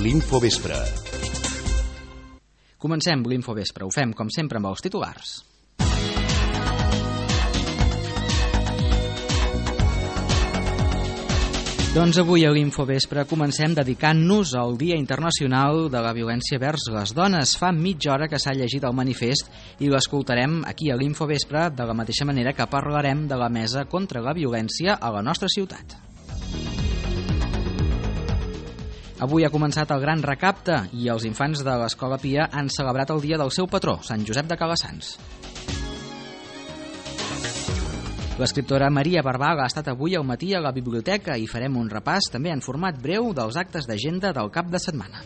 L'Infovespre. Comencem l'Infovespre. Ho fem, com sempre, amb els titulars. Doncs avui a l'Infovespre comencem dedicant-nos al Dia Internacional de la Violència vers les Dones. Fa mitja hora que s'ha llegit el manifest i l'escoltarem aquí a l'Infovespre, de la mateixa manera que parlarem de la Mesa contra la Violència a la nostra ciutat. Avui ha començat el Gran Recapte i els infants de l'Escola Pia han celebrat el dia del seu patró, Sant Josep de Calassanç. L'escriptora Maria Barbal ha estat avui al matí a la biblioteca i farem un repàs també en format breu dels actes d'agenda del cap de setmana.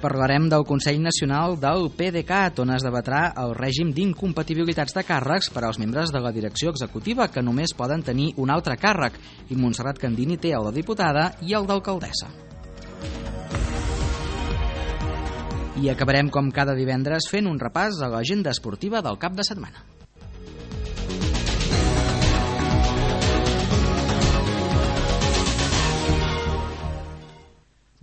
Parlarem del Consell Nacional del PDeCAT, on es debatrà el règim d'incompatibilitats de càrrecs per als membres de la direcció executiva, que només poden tenir un altre càrrec, i Montserrat Candini té el de diputada i el d'alcaldessa. I acabarem com cada divendres fent un repàs a l'agenda esportiva del cap de setmana.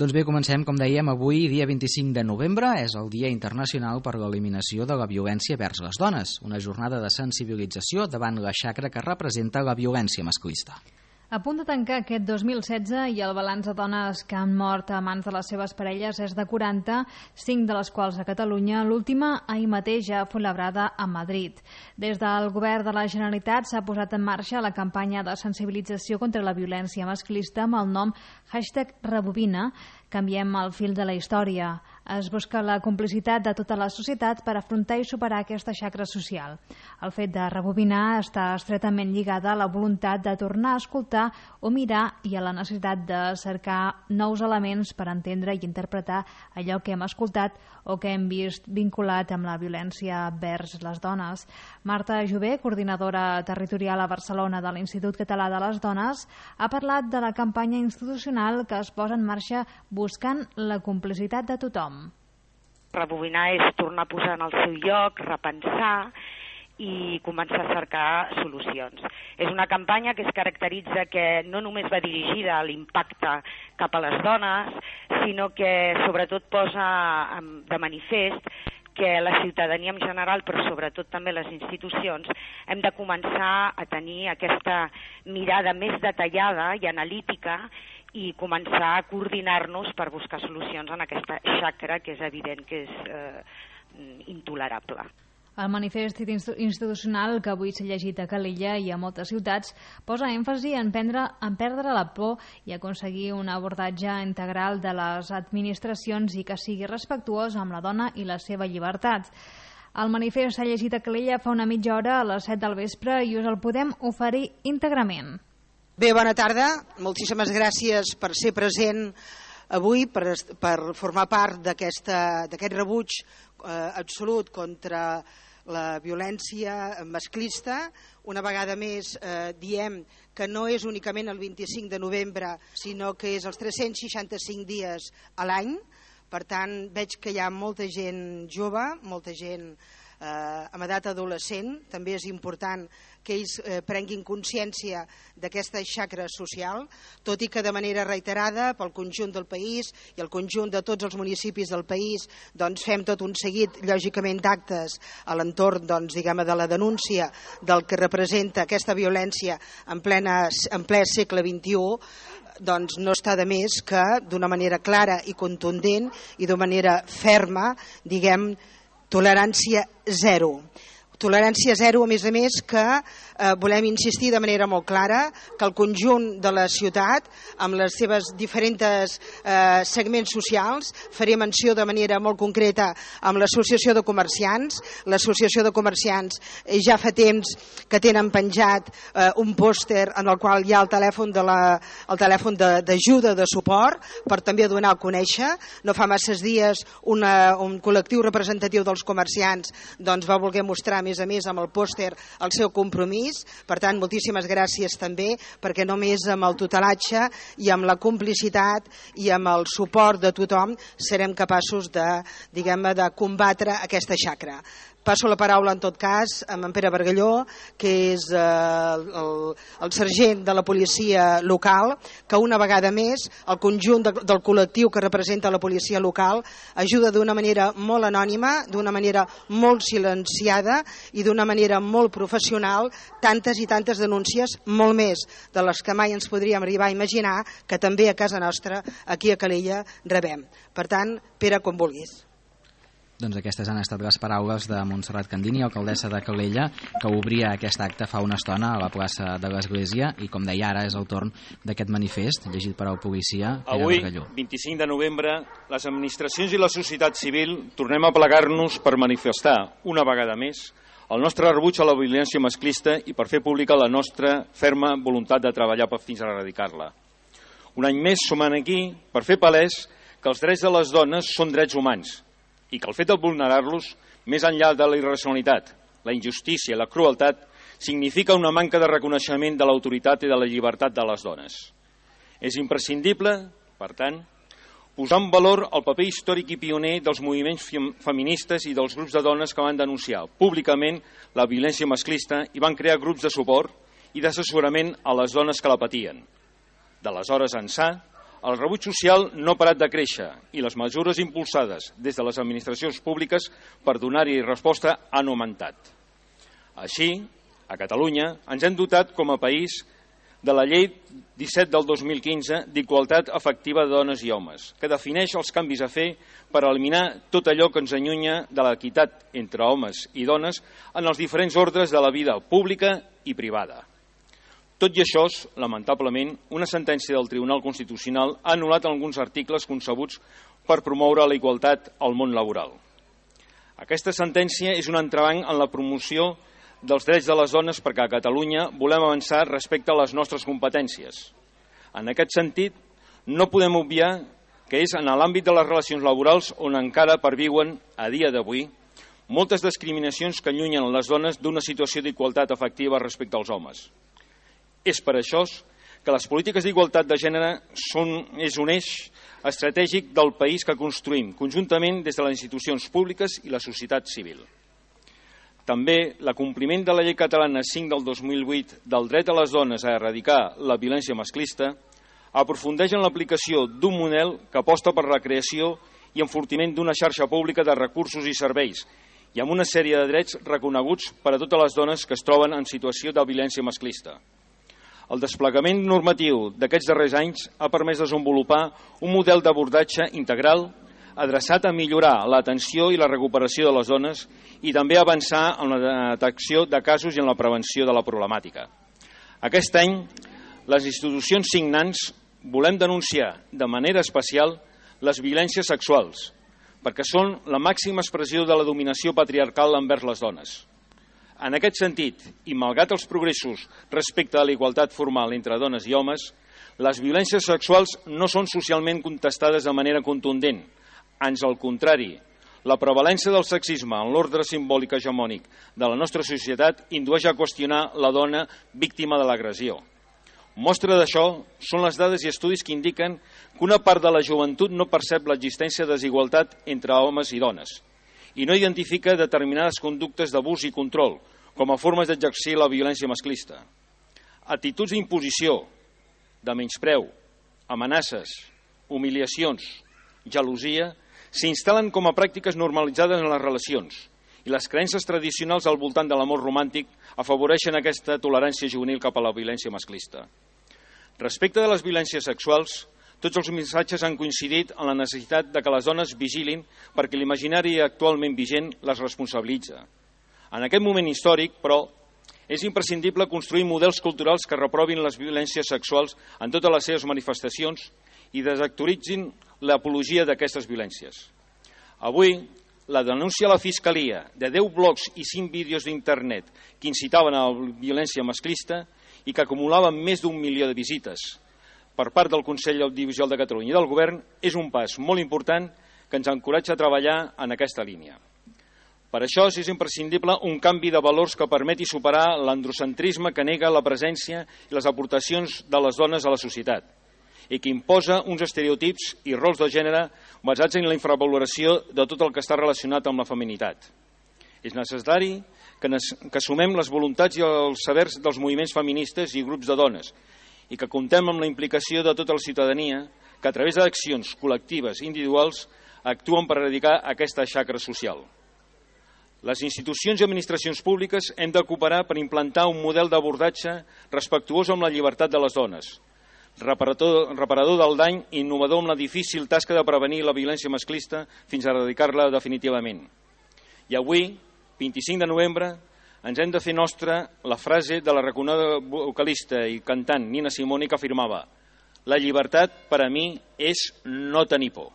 Doncs bé, comencem, com dèiem, avui, dia 25 de novembre, és el Dia Internacional per l'Eliminació de la Violència vers les Dones, una jornada de sensibilització davant la xacra que representa la violència masclista. A punt de tancar aquest 2016 i el balanç de dones que han mort a mans de les seves parelles és de 40, 5 de les quals a Catalunya, l'última ahir mateix ja fou labrada a Madrid. Des del govern de la Generalitat s'ha posat en marxa la campanya de sensibilització contra la violència masclista amb el nom #Rebobina, canviem el fil de la història. Es busca la complicitat de tota la societat per afrontar i superar aquesta xacra social. El fet de rebobinar està estretament lligada a la voluntat de tornar a escoltar o mirar i a la necessitat de cercar nous elements per entendre i interpretar allò que hem escoltat o que hem vist vinculat amb la violència vers les dones. Marta Jové, coordinadora territorial a Barcelona de l'Institut Català de les Dones, ha parlat de la campanya institucional que es posa en marxa buscant la complicitat de tothom. Rebobinar és tornar a posar en el seu lloc, repensar i començar a cercar solucions. És una campanya que es caracteritza que no només va dirigida a l'impacte cap a les dones, sinó que sobretot posa de manifest que la ciutadania en general, però sobretot també les institucions, hem de començar a tenir aquesta mirada més detallada i analítica i començar a coordinar-nos per buscar solucions en aquesta xacra que és evident que és intolerable. El manifest institucional que avui s'ha llegit a Calella i a moltes ciutats posa èmfasi en perdre la por i aconseguir un abordatge integral de les administracions i que sigui respectuós amb la dona i la seva llibertat. El manifest s'ha llegit a Calella fa una mitja hora a les 7 del vespre i us el podem oferir íntegrament. Bé, bona tarda. Moltíssimes gràcies per ser present avui, per formar part d'aquest rebuig absolut contra la violència masclista. Una vegada més diem que no és únicament el 25 de novembre, sinó que és els 365 dies a l'any. Per tant, veig que hi ha molta gent jove, molta gent amb edat adolescent. També és important que ells prenguin consciència d'aquesta xacra social, tot i que de manera reiterada pel conjunt del país i el conjunt de tots els municipis del país doncs fem tot un seguit, lògicament, d'actes a l'entorn de la denúncia del que representa aquesta violència en ple segle XXI. Doncs no està de més que d'una manera clara i contundent i d'una manera ferma diguem tolerància zero. Tolerància zero, a més, que volem insistir de manera molt clara que el conjunt de la ciutat, amb les seves diferents segments socials, faré menció de manera molt concreta amb l'Associació de Comerciants. L'Associació de Comerciants ja fa temps que tenen penjat un pòster en el qual hi ha el telèfon d'ajuda, de suport, per també donar a conèixer. No fa masses dies un col·lectiu representatiu dels comerciants va voler mostrar, a més amb el pòster, el seu compromís. Per tant, moltíssimes gràcies també, perquè només amb el tutelatge i amb la complicitat i amb el suport de tothom serem capaços de combatre aquesta xacra. Passo la paraula, en tot cas, a en Pere Bargalló, que és el sergent de la policia local, que una vegada més el conjunt del col·lectiu que representa la policia local ajuda d'una manera molt anònima, d'una manera molt silenciada i d'una manera molt professional tantes i tantes denúncies, molt més de les que mai ens podríem arribar a imaginar, que també a casa nostra, aquí a Calella, rebem. Per tant, Pere, com vulguis. Doncs aquestes han estat les paraules de Montserrat Candini, alcaldessa de Calella, que obria aquest acte fa una estona a la plaça de l'Església, i com deia ara és el torn d'aquest manifest llegit per el policia Pere Bargalló. Avui, 25 de novembre, les administracions i la societat civil tornem a plegar-nos per manifestar una vegada més el nostre rebuig a la violència masclista i per fer pública la nostra ferma voluntat de treballar fins a erradicar-la. Un any més som aquí per fer palès que els drets de les dones són drets humans i que el fet de vulnerar-los, més enllà de la irracionalitat, la injustícia i la crueltat, significa una manca de reconeixement de l'autoritat i de la llibertat de les dones. És imprescindible, per tant, posar en valor el paper històric i pioner dels moviments feministes i dels grups de dones que van denunciar públicament la violència masclista i van crear grups de suport i d'assessorament a les dones que la patien. D'aleshores ençà, el rebuig social no ha parat de créixer i les mesures impulsades des de les administracions públiques per donar-hi resposta han augmentat. Així, a Catalunya, ens hem dotat com a país de la Llei 17 del 2015 d'Igualtat Efectiva de Dones i Homes, que defineix els canvis a fer per eliminar tot allò que ens allunya de l'equitat entre homes i dones en els diferents ordres de la vida pública i privada. Tot i això, lamentablement, una sentència del Tribunal Constitucional ha anul·lat alguns articles concebuts per promoure la igualtat al món laboral. Aquesta sentència és un entrebanc en la promoció dels drets de les dones perquè a Catalunya volem avançar respecte a les nostres competències. En aquest sentit, no podem obviar que és en l'àmbit de les relacions laborals on encara perviuen, a dia d'avui, moltes discriminacions que allunyen les dones d'una situació d'igualtat efectiva respecte als homes. És per això que les polítiques d'igualtat de gènere és un eix estratègic del país que construïm conjuntament des de les institucions públiques i la societat civil. També l'acompliment de la Llei Catalana 5 del 2008 del dret a les dones a erradicar la violència masclista aprofundeix en l'aplicació d'un model que aposta per la creació i enfortiment d'una xarxa pública de recursos i serveis i amb una sèrie de drets reconeguts per a totes les dones que es troben en situació de violència masclista. El desplegament normatiu d'aquests darrers anys ha permès desenvolupar un model d'abordatge integral adreçat a millorar l'atenció i la recuperació de les dones i també avançar en la detecció de casos i en la prevenció de la problemàtica. Aquest any, les institucions signants volem denunciar de manera especial les violències sexuals, perquè són la màxima expressió de la dominació patriarcal envers les dones. En aquest sentit, i malgrat els progressos respecte a la igualtat formal entre dones i homes, les violències sexuals no són socialment contestades de manera contundent. Ans al contrari, la prevalència del sexisme en l'ordre simbòlic hegemònic de la nostra societat indueix a qüestionar la dona víctima de l'agressió. Mostra d'això són les dades i estudis que indiquen que una part de la joventut no percep l'existència de desigualtat entre homes i dones i no identifica determinades conductes d'abús i control com a formes d'exercir la violència masclista. Actituds d'imposició, de menyspreu, amenaces, humiliacions, gelosia, s'instal·len com a pràctiques normalitzades en les relacions i les creences tradicionals al voltant de l'amor romàntic afavoreixen aquesta tolerància juvenil cap a la violència masclista. Respecte de les violències sexuals, tots els missatges han coincidit en la necessitat de que les dones vigilin perquè l'imaginari actualment vigent les responsabilitza. En aquest moment històric, però, és imprescindible construir models culturals que reprovin les violències sexuals en totes les seves manifestacions i desactualitzin l'apologia d'aquestes violències. Avui, la denúncia a la Fiscalia de 10 blogs i 5 vídeos d'internet que incitaven a la violència masclista i que acumulaven més d'1 milió de visites per part del Consell Audiovisual de Catalunya i del Govern és un pas molt important que ens encoratja a treballar en aquesta línia. Per això és imprescindible un canvi de valors que permeti superar l'androcentrisme que nega la presència i les aportacions de les dones a la societat i que imposa uns estereotips i rols de gènere basats en la infravaloració de tot el que està relacionat amb la feminitat. És necessari que sumem les voluntats i els sabers dels moviments feministes i grups de dones i que comptem amb la implicació de tota la ciutadania que a través d'accions col·lectives i individuals actuen per erradicar aquesta xacra social. Les institucions i administracions públiques hem de cooperar per implantar un model d'abordatge respectuós amb la llibertat de les dones, reparador del dany i innovador amb la difícil tasca de prevenir la violència masclista fins a erradicar-la definitivament. I avui, 25 de novembre, ens hem de fer nostra la frase de la reconeguda vocalista i cantant Nina Simone que afirmava: la llibertat per a mi és no tenir por.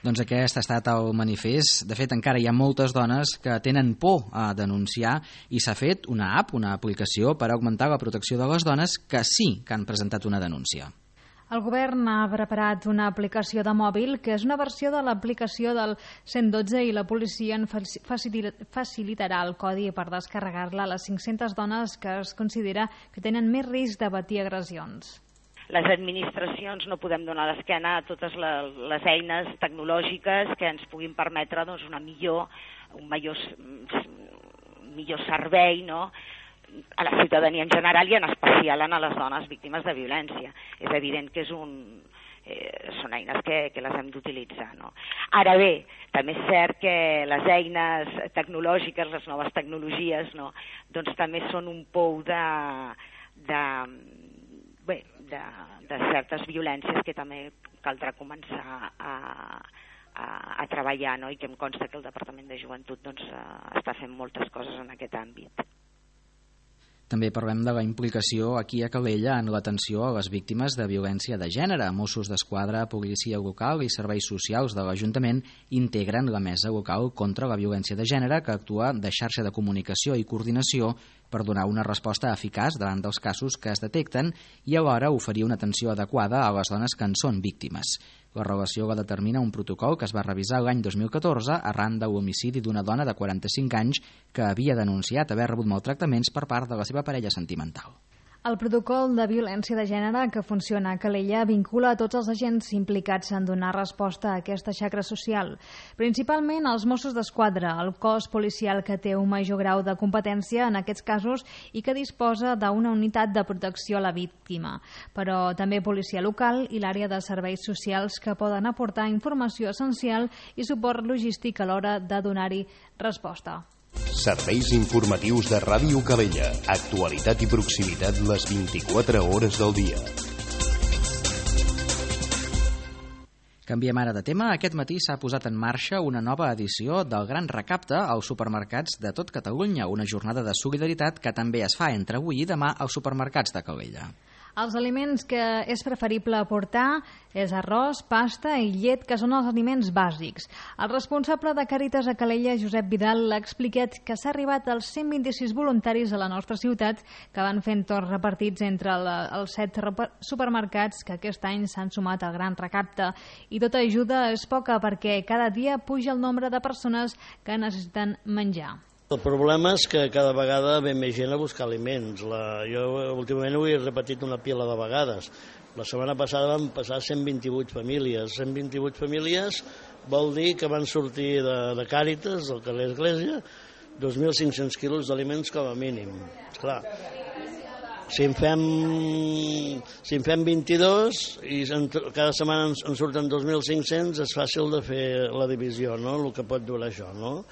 Doncs aquest ha estat el manifest. De fet, encara hi ha moltes dones que tenen por a denunciar i s'ha fet una app, una aplicació per augmentar la protecció de les dones que sí que han presentat una denúncia. El govern ha preparat una aplicació de mòbil que és una versió de l'aplicació del 112 i la policia en facilitarà el codi per descarregar-la a les 500 dones que es considera que tenen més risc de patir agressions. Les administracions no podem donar l'esquena a totes les eines tecnològiques que ens puguin permetre un millor servei, no?, a la ciutadania en general i en especial a les dones víctimes de violència. És evident que són eines que les hem d'utilitzar, no? Ara bé, també és cert que les eines tecnològiques, les noves tecnologies, no?, doncs també són un pou de certes violències que també caldrà començar a treballar, no?, i que em consta que el Departament de Joventut doncs, està fent moltes coses en aquest àmbit. També parlem de la implicació aquí a Calella en l'atenció a les víctimes de violència de gènere. Mossos d'Esquadra, policia local i serveis socials de l'Ajuntament integren la mesa local contra la violència de gènere que actua de xarxa de comunicació i coordinació per donar una resposta eficaç davant dels casos que es detecten i alhora oferir una atenció adequada a les dones que en són víctimes. La relació la determina un protocol que es va revisar l'any 2014 arran de l'homicidi d'una dona de 45 anys que havia denunciat haver rebut maltractaments per part de la seva parella sentimental. El protocol de violència de gènere que funciona a Calella vincula a tots els agents implicats en donar resposta a aquesta xacra social, principalment els Mossos d'Esquadra, el cos policial que té un major grau de competència en aquests casos i que disposa d'una unitat de protecció a la víctima, però també policia local i l'àrea de serveis socials que poden aportar informació essencial i suport logístic a l'hora de donar-hi resposta. Serveis informatius de Ràdio Calella. Actualitat i proximitat les 24 hores del dia. Canviem ara de tema. Aquest matí s'ha posat en marxa una nova edició del Gran Recapte als supermercats de tot Catalunya, una jornada de solidaritat que també es fa entre avui i demà als supermercats de Calella. Els aliments que és preferible aportar és arròs, pasta i llet, que són els aliments bàsics. El responsable de Càritas a Calella, Josep Vidal, l'ha explicat que s'ha arribat als 126 voluntaris a la nostra ciutat que van fent torns repartits entre els 7 supermercats que aquest any s'han sumat al Gran Recapte. I tota ajuda és poca perquè cada dia puja el nombre de persones que necessiten menjar. El problema és que cada vegada ve més gent a buscar aliments. Jo últimament ho he repetit una pila de vegades. La setmana passada van passar 128 famílies. 128 famílies vol dir que van sortir de Càritas, del carrer Església, 2.500 quilos d'aliments com a mínim. Esclar, si en fem 22 i cada setmana en surten 2.500, és fàcil de fer la divisió, no?, el que pot durar això, no?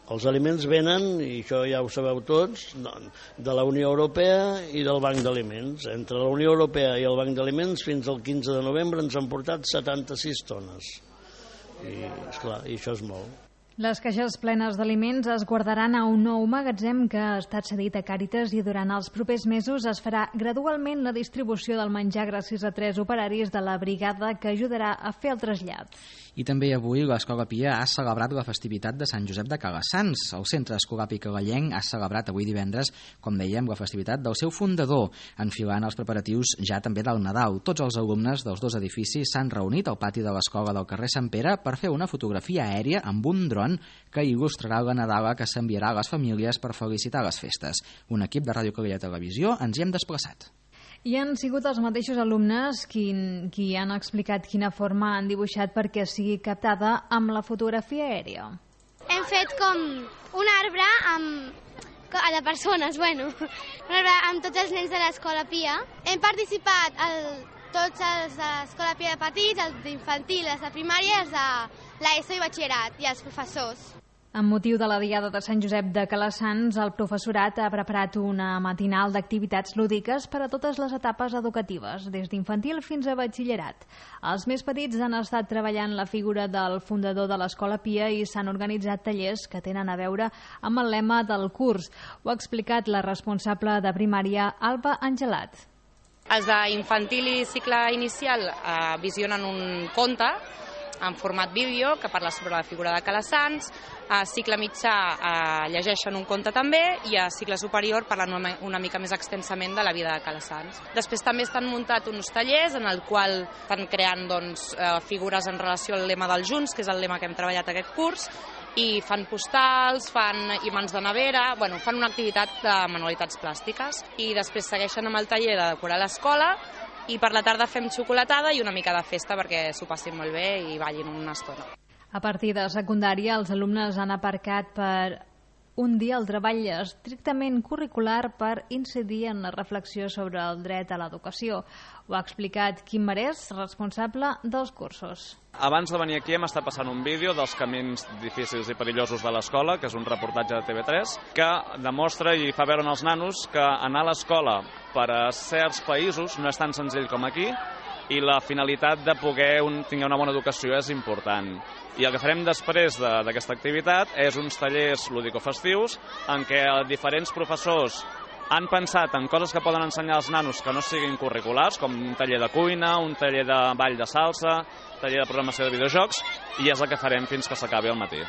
Els aliments venen, i això ja ho sabeu tots, de la Unió Europea i del Banc d'Aliments. Entre la Unió Europea i el Banc d'Aliments fins al 15 de novembre ens han portat 76 tones. I, esclar, i això és molt. Les caixes plenes d'aliments es guardaran a un nou magatzem que ha estat cedit a Càritas i durant els propers mesos es farà gradualment la distribució del menjar gràcies a 3 operaris de la brigada que ajudarà a fer el trasllat. I també avui l'Escola Pia ha celebrat la festivitat de Sant Josep de Calassans. El Centre Escolar Calellenc ha celebrat avui divendres, com dèiem, la festivitat del seu fundador, enfilant els preparatius ja també del Nadal. Tots els alumnes dels 2 edificis s'han reunit al pati de l'escola del carrer Sant Pere per fer una fotografia aèria amb un dron que il·lustrarà la Nadala que s'enviarà a les famílies per felicitar les festes. Un equip de Ràdio Calella Televisió ens hi hem desplaçat. I han sigut els mateixos alumnes qui han explicat quina forma han dibuixat perquè sigui captada amb la fotografia aèria. Hem fet com un arbre de persones, un arbre amb tots els nens de l'Escola Pia. Hem participat tots els de l'Escola Pia de petits, els d'infantil, els de primària, els de l'ESO i batxillerat i els professors. Amb motiu de la Diada de Sant Josep de Calassanç, el professorat ha preparat una matinal d'activitats lúdiques per a totes les etapes educatives, des d'infantil fins a batxillerat. Els més petits han estat treballant la figura del fundador de l'Escola Pia i s'han organitzat tallers que tenen a veure amb el lema del curs. Ho ha explicat la responsable de primària, Alba Angelat. Els d'infantil i cicle inicial visionen un conte en format vídeo que parla sobre la figura de Calassanç, a cicle mitjà llegeixen un conte també i a cicle superior parlen una mica més extensament de la vida de Calassanç. Després també estan muntat uns tallers en el qual estan creant figures en relació al lema dels Junts, que és el lema que hem treballat aquest curs, i fan postals, fan imants de nevera, fan una activitat de manualitats plàstiques i després segueixen amb el taller de decorar l'escola i per la tarda fem xocolatada i una mica de festa perquè s'ho passin molt bé i ballin una estona. A partir de secundària, els alumnes han aparcat per un dia el treball estrictament curricular per incidir en la reflexió sobre el dret a l'educació. Ho ha explicat Quim Marès, responsable dels cursos. Abans de venir aquí hem estat passant un vídeo dels camins difícils i perillosos de l'escola, que és un reportatge de TV3, que demostra i fa veure als nanos que anar a l'escola per a certs països no és tan senzill com aquí i la finalitat de poder tenir una bona educació és important. I el que farem després d'aquesta activitat és uns tallers lúdico-festius en què diferents professors han pensat en coses que poden ensenyar als nanos que no siguin curriculars, com un taller de cuina, un taller de ball de salsa, taller de programació de videojocs, i és el que farem fins que s'acabi el matí.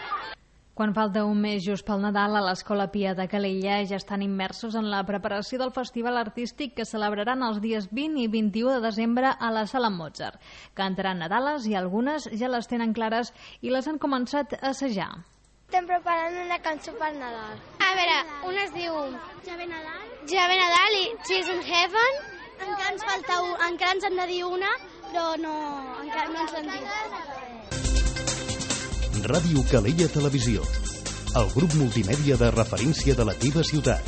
Quan falta un mes just pel Nadal, a l'Escola Pia de Calella ja estan immersos en la preparació del festival artístic que celebraran els dies 20 i 21 de desembre a la Sala Mozart. Cantaran Nadales i algunes ja les tenen clares i les han començat a assajar. Estem preparant una cançó per Nadal. A veure, una es diu Ja ve Nadal. Ja ve Nadal i Cheers in Heaven. Encara ens han de dir una, però encara no ens l'han dit. Ràdio Calella Televisió, el grup multimèdia de referència de la teva ciutat.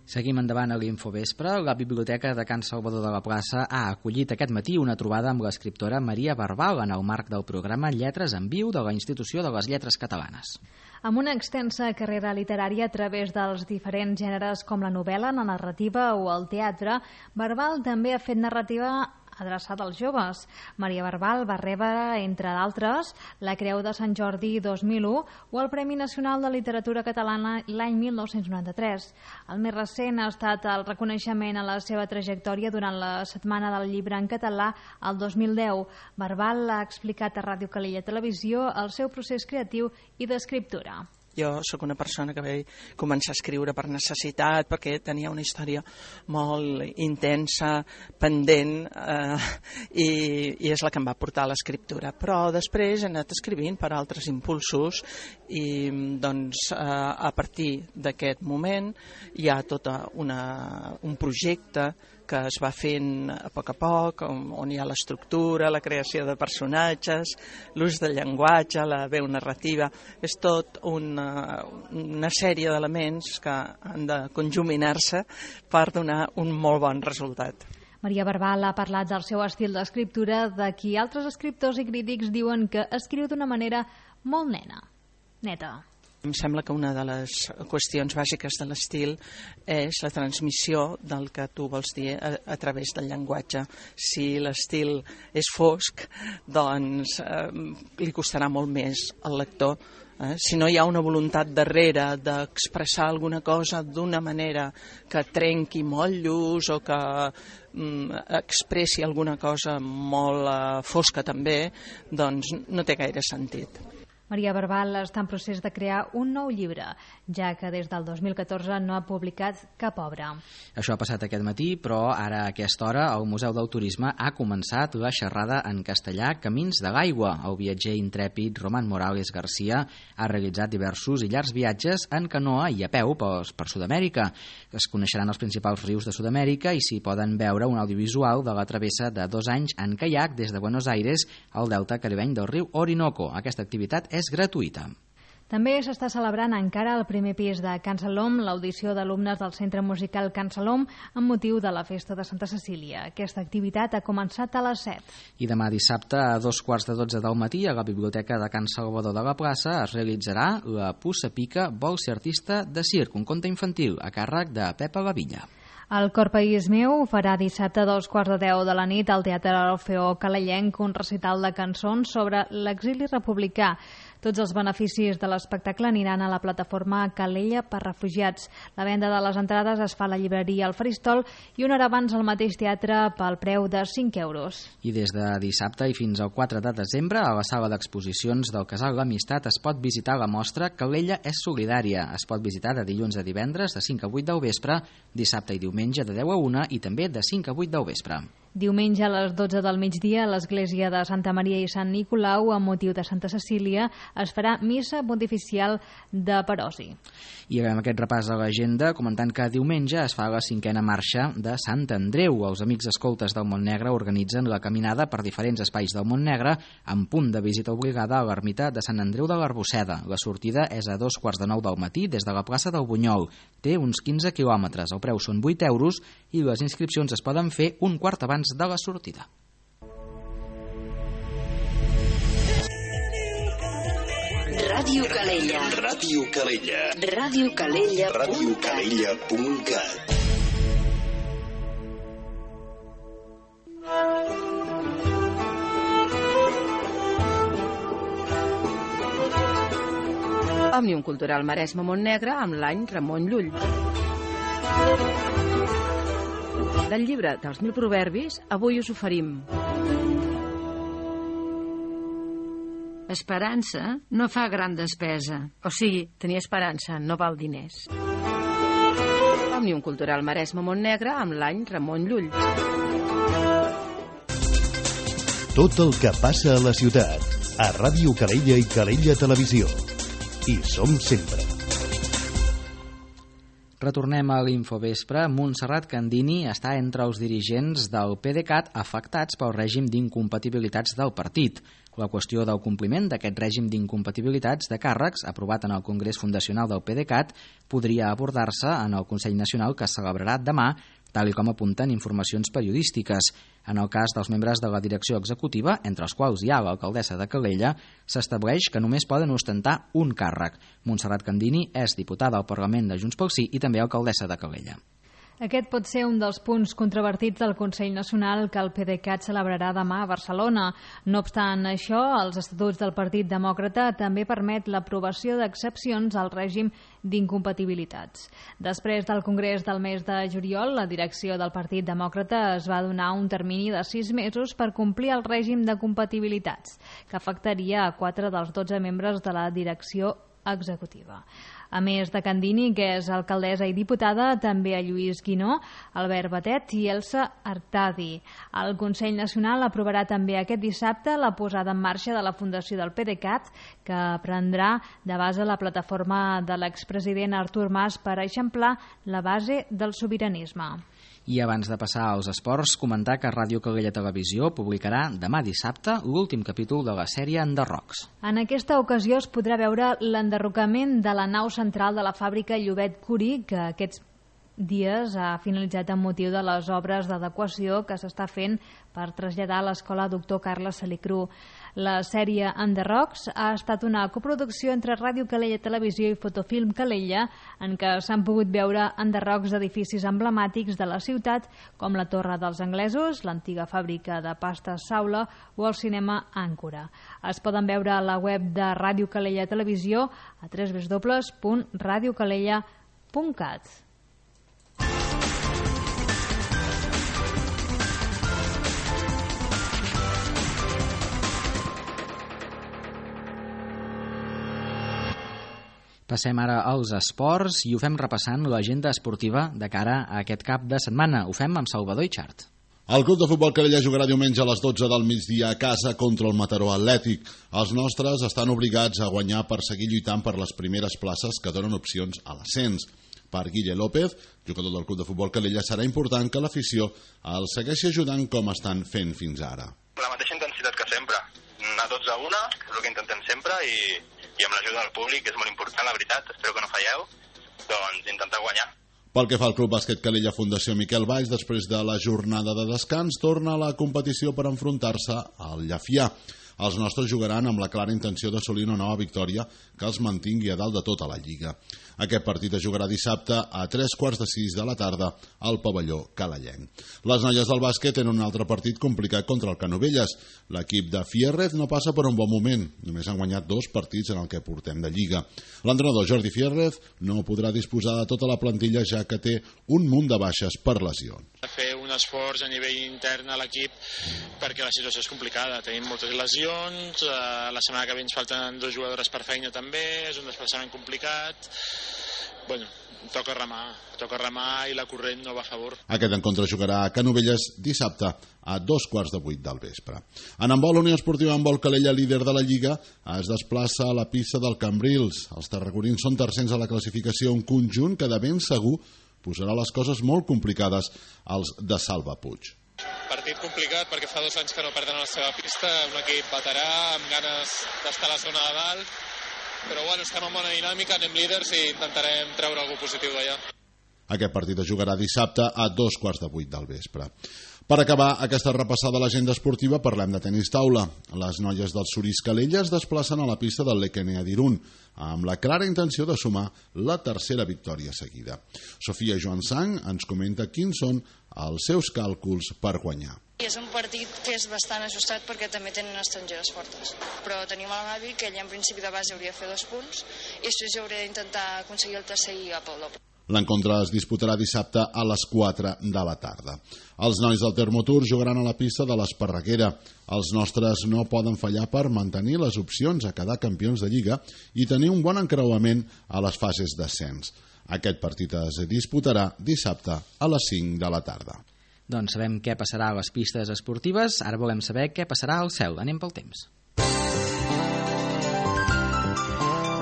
Seguim endavant a l'Infovespre. La Biblioteca de Can Salvador de la Plaça ha acollit aquest matí una trobada amb l'escriptora Maria Barbal en el marc del programa Lletres en Viu de la Institució de les Lletres Catalanes. Amb una extensa carrera literària a través dels diferents gèneres com la novel·la, la narrativa o el teatre, Barbal també ha fet narrativa adreçada als joves. Maria Barbal va rebre, entre d'altres, la Creu de Sant Jordi 2001 o el Premi Nacional de Literatura Catalana l'any 1993. El més recent ha estat el reconeixement a la seva trajectòria durant la Setmana del Llibre en Català el 2010. Barbal ha explicat a Ràdio Calella Televisió el seu procés creatiu i d'escriptura. Jo sóc una persona que vaig començar a escriure per necessitat, perquè tenia una història molt intensa, pendent, i és la que em va portar a l'escriptura. Però després he anat escrivint per altres impulsos i doncs, a partir d'aquest moment hi ha tot un projecte que es va fent a poc, on hi ha l'estructura, la creació de personatges, l'ús del llenguatge, la veu narrativa. És tot una sèrie d'elements que han de conjuminar-se per donar un molt bon resultat. Maria Barbal ha parlat del seu estil d'escriptura, de qui altres escriptors i crítics diuen que escriu d'una manera molt neta. Em sembla que una de les qüestions bàsiques de l'estil és la transmissió del que tu vols dir a través del llenguatge. Si l'estil és fosc, doncs li costarà molt més al lector. Si no hi ha una voluntat darrere d'expressar alguna cosa d'una manera que trenqui motllos o que expressi alguna cosa molt fosca també, doncs no té gaire sentit. Maria Barbal està en procés de crear un nou llibre, ja que des del 2014 no ha publicat cap obra. Això ha passat aquest matí, però ara a aquesta hora el Museu del Turisme ha començat la xerrada en castellà Camins de l'aigua. El viatger intrèpid Román Morales García ha realitzat diversos i llargs viatges en canoa i a peu per Sud-amèrica. Es coneixeran els principals rius de Sud-amèrica i s'hi poden veure un audiovisual de la travessa de 2 anys en caiac des de Buenos Aires al delta caribeny del riu Orinoco. Aquesta activitat és gratuïta. També s'està celebrant encara al primer pis de Can Salom l'audició d'alumnes del Centre Musical Can Salom amb motiu de la festa de Santa Cecília. Aquesta activitat ha començat a les 7. I demà dissabte a 2:15 del matí a la Biblioteca de Can Salvador de la Plaça es realitzarà la Puça Pica vol ser artista de circ, un conte infantil a càrrec de Pepa Lavilla. El Cor País Meu farà dissabte a 2:15 de la nit al Teatre Orfeó Calellenc un recital de cançons sobre l'exili republicà. Tots els beneficis de l'espectacle aniran a la plataforma Calella per Refugiats. La venda de les entrades es fa a la llibreria El Faristol i una hora abans al mateix teatre pel preu de 5 euros. I des de dissabte i fins al 4 de desembre a la sala d'exposicions del Casal L'Amistat es pot visitar la mostra Calella és solidària. Es pot visitar de dilluns a divendres de 5 a 8 del vespre, dissabte i diumenge de 10 a 1 i també de 5 a 8 del vespre. Diumenge a les 12 del migdia a l'església de Santa Maria i Sant Nicolau, amb motiu de Santa Cecília, es farà missa pontificial de Parosi. I amb aquest repàs a l'agenda, comentant que diumenge es fa la 5a marxa de Sant Andreu. Els Amics Escoltes del Montnegre organitzen la caminada per diferents espais del Montnegre amb punt de visita obligada a l'ermita de Sant Andreu de l'Arbosseda. La sortida és a 2:15 del matí des de la plaça del Bunyol. Té uns 15 quilòmetres, el preu són 8 euros i les inscripcions es poden fer un quart abans de la sortida. Ràdio Calella. Ràdio Calella. Ràdio Calella. radiocalella.cat. Òmnium Cultural Maresme Montnegre amb l'any Ramon Llull. Del llibre dels 1000 proverbis, avui us oferim. Esperança no fa gran despesa. O sigui, tenir esperança no val diners. Òmnium Cultural Maresme Montnegre amb l'any Ramon Llull. Tot el que passa a la ciutat, a Ràdio Calella i Calella Televisió. Hi som sempre. Retornem a l'Infovespre. Montserrat Candini està entre els dirigents del PDeCAT afectats pel règim d'incompatibilitats del partit. La qüestió del compliment d'aquest règim d'incompatibilitats de càrrecs, aprovat en el Congrés Fundacional del PDeCAT, podria abordar-se en el Consell Nacional que es celebrarà demà, tal com apunten informacions periodístiques. En el cas dels membres de la direcció executiva, entre els quals hi ha l'alcaldessa de Calella, s'estableix que només poden ostentar un càrrec. Montserrat Candini és diputada al Parlament de Junts pel Sí i també alcaldessa de Calella. Aquest pot ser un dels punts controvertits del Consell Nacional que el PDeCAT celebrarà demà a Barcelona. No obstant això, els estatuts del Partit Demòcrata també permet l'aprovació d'excepcions al règim d'incompatibilitats. Després del Congrés del mes de juliol, la direcció del Partit Demòcrata es va donar un termini de 6 mesos per complir el règim de compatibilitats, que afectaria a 4 dels 12 membres de la direcció executiva. A més de Candini, que és alcaldessa i diputada, també a Lluís Guinó, Albert Batet i Elsa Artadi. El Consell Nacional aprovarà també aquest dissabte la posada en marxa de la fundació del PDeCAT, que prendrà de base la plataforma de l'expresident Artur Mas per eixamplar la base del sobiranisme. I abans de passar als esports, comentar que Ràdio Calella Televisió publicarà demà dissabte l'últim capítol de la sèrie Enderrocs. En aquesta ocasió es podrà veure l'enderrocament de la nau central de la fàbrica Llobet Curí, que aquests dies ha finalitzat amb motiu de les obres d'adequació que s'està fent per traslladar a l'escola Doctor Carles Salicru. La sèrie Enderrocs ha estat una coproducció entre Ràdio Calella Televisió i Fotofilm Calella, en què s'han pogut veure enderrocs d'edificis emblemàtics de la ciutat, com la Torre dels Anglesos, l'antiga fàbrica de pastes Saula o el cinema Àncora. Es poden veure a la web de Ràdio Calella Televisió a www.radiocalella.cat. Passem ara als esports i ho fem repassant l'agenda esportiva de cara a aquest cap de setmana. Ho fem amb Salvador Itxart. El Club de Futbol Calella jugarà diumenge a les 12 del migdia a casa contra el Mataró Atlètic. Els nostres estan obligats a guanyar per seguir lluitant per les primeres places que donen opcions a l'ascens. Per Guille López, jugador del Club de Futbol Calella, serà important que l'afició el segueixi ajudant com estan fent fins ara. La mateixa intensitat que sempre, a 12-1, que és el que intentem sempre, i amb l'ajuda del públic, és molt important, la veritat, espero que no falleu, doncs intentar guanyar. Pel que fa al Club Bàsquet Calella Fundació Miquel Valls, després de la jornada de descans, torna a la competició per enfrontar-se al Llafià. Els nostres jugaran amb la clara intenció d'assolir una nova victòria que els mantingui a dalt de tota la Lliga. Aquest partit es jugarà dissabte a 3:45 de la tarda al pavelló calellenc. Les noies del bàsquet tenen un altre partit complicat contra el Canovelles. L'equip de Fierrez no passa per un bon moment. Només han guanyat 2 partits en el que portem de Lliga. L'entrenador Jordi Fierrez no podrà disposar de tota la plantilla ja que té un munt de baixes per lesions. Fer un esforç a nivell intern a l'equip perquè la situació és complicada. Tenim moltes lesions, la setmana que ve ens falten 2 jugadores per feina també, és un desplaçament complicat. Bueno, toca remar i la corrent no va a favor. Aquest encontre jugarà a Canovelles dissabte a 7:15 del vespre. En handbol, Unió Esportiva Handbol Calella, líder de la Lliga, es desplaça a la pista del Cambrils. Els tarragonins són tercers a la classificació, un conjunt que de ben segur posarà les coses molt complicades als de Salva Puig. Partit complicat perquè fa 2 anys que no perden a la seva pista, un equip veterà amb ganes d'estar a la zona de dalt, però bueno, estem en bona dinàmica, anem líders i intentarem treure alguna cosa positiu d'allà. Aquest partit es jugarà dissabte a 7:15 del vespre. Per acabar aquesta repassada a l'agenda esportiva, parlem de tenis taula. Les noies del Surís Calella es desplacen a la pista del Lequenea d'Irún, amb la clara intenció de sumar la tercera victòria seguida. Sofia Joan Sang ens comenta quins són els seus càlculs per guanyar. És un partit que és bastant ajustat perquè també tenen estrangeres fortes, però tenim el Gavi, que ella en principi de base hauria de fer 2 punts i després jo hauré d'intentar aconseguir el tercer i cap al doble. L'encontre es disputarà dissabte a les 4 de la tarda. Els nois del Termotur jugaran a la pista de l'Esparreguera. Els nostres no poden fallar per mantenir les opcions a quedar campions de Lliga i tenir un bon encreuament a les fases d'ascens. Aquest partit es disputarà dissabte a les 5 de la tarda. Doncs sabem què passarà a les pistes esportives, ara volem saber què passarà al cel. Anem pel temps.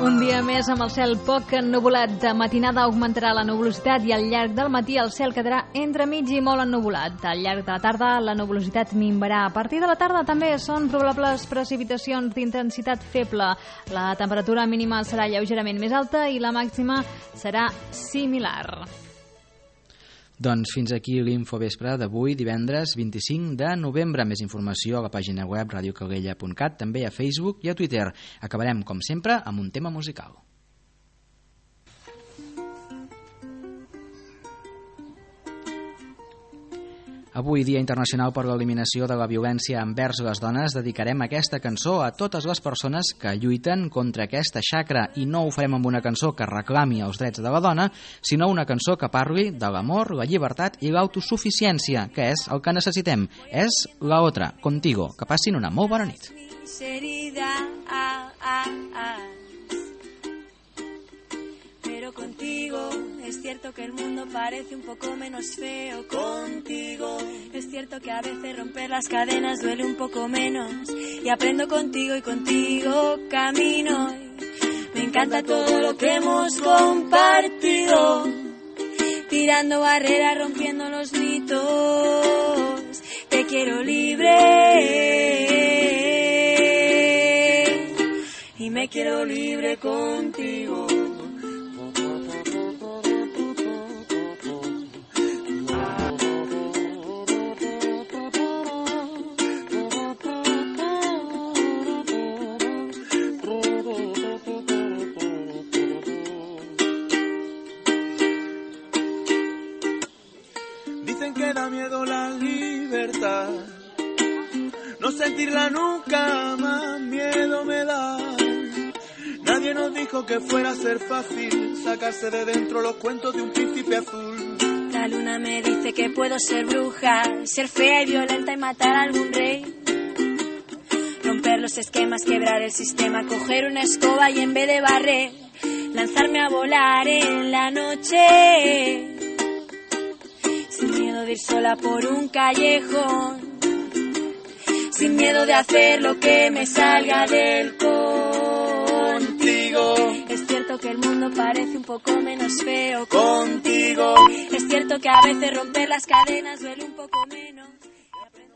Un dia més amb el cel poc ennuvolat. De matinada augmentarà la nuvolositat i al llarg del matí el cel quedarà entremig i molt ennuvolat. Al llarg de la tarda la nuvolositat minvarà. A partir de la tarda també són probables precipitacions d'intensitat feble. La temperatura mínima serà lleugerament més alta i la màxima serà similar. Doncs fins aquí l'Infovespre d'avui, divendres 25 de novembre. Més informació a la pàgina web radiocalella.cat, també a Facebook i a Twitter. Acabarem, com sempre, amb un tema musical. Avui, Dia Internacional per l'Eliminació de la Violència envers les Dones, dedicarem aquesta cançó a totes les persones que lluiten contra aquesta xacra, i no ho farem amb una cançó que reclami els drets de la dona, sinó una cançó que parli de l'amor, la llibertat i l'autosuficiència, que és el que necessitem. És La Otra, Contigo. Que passin una molt bona nit. Pero contigo es cierto que el mundo parece un poco menos feo. Contigo es cierto que a veces romper las cadenas duele un poco menos. Y aprendo contigo y contigo camino. Me encanta todo lo que hemos compartido. Tirando barreras, rompiendo los mitos. Te quiero libre. Y me quiero libre contigo. Que da miedo la libertad, no sentirla nunca más miedo me da. Nadie nos dijo que fuera a ser fácil sacarse de dentro los cuentos de un príncipe azul. La luna me dice que puedo ser bruja, ser fea y violenta y matar a algún rey. Romper los esquemas, quebrar el sistema, coger una escoba y en vez de barrer lanzarme a volar en la noche, sin miedo de ir sola por un callejón, sin miedo de hacer lo que me salga del contigo. Es cierto que el mundo parece un poco menos feo contigo. Es cierto que a veces romper las cadenas duele un poco menos.